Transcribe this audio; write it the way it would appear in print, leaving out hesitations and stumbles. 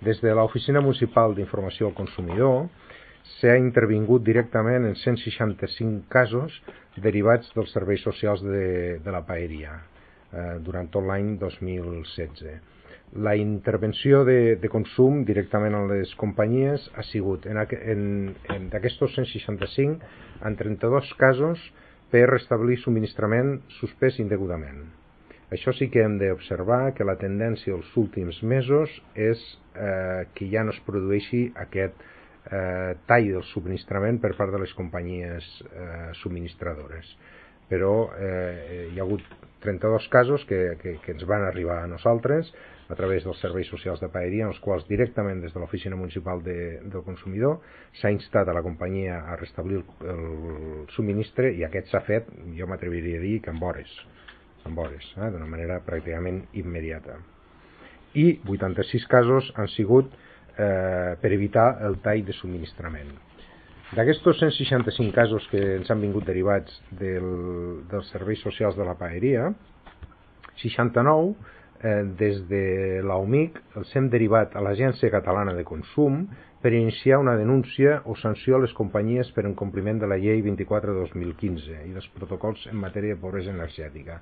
Des de l'Oficina Municipal d'Informació al Consumidor s'ha intervingut directament en 165 casos derivats dels serveis socials de la paeria durant tot l'any 2016. La intervenció de consum directament a les companyies ha sigut, d'aquestos 165, en 32 casos per restablir subministrament suspès indegudament. Això sí que hem d'observar que la tendència dels últims mesos és que ja no es produeixi aquest tall del subministrament per part de les companyies subministradores. Però hi ha hagut 32 casos que ens van arribar a nosaltres a través dels serveis socials de paeria, en els quals directament des de l'Oficina Municipal del Consumidor s'ha instat a la companyia a restablir el subministre, i aquest s'ha fet, jo m'atreviria a dir que en hores, d'una manera pràcticament immediata. I 86 casos han sigut per evitar el tall de subministrament. D'aquests 165 casos que ens han vingut derivats dels serveis socials de la paeria, 69 des de l'AUMIC els hem derivat a l'Agència Catalana de Consum per iniciar una denúncia o sanció a les companyies per incompliment de la llei 24/2015 i dels protocols en matèria de pobresa energètica.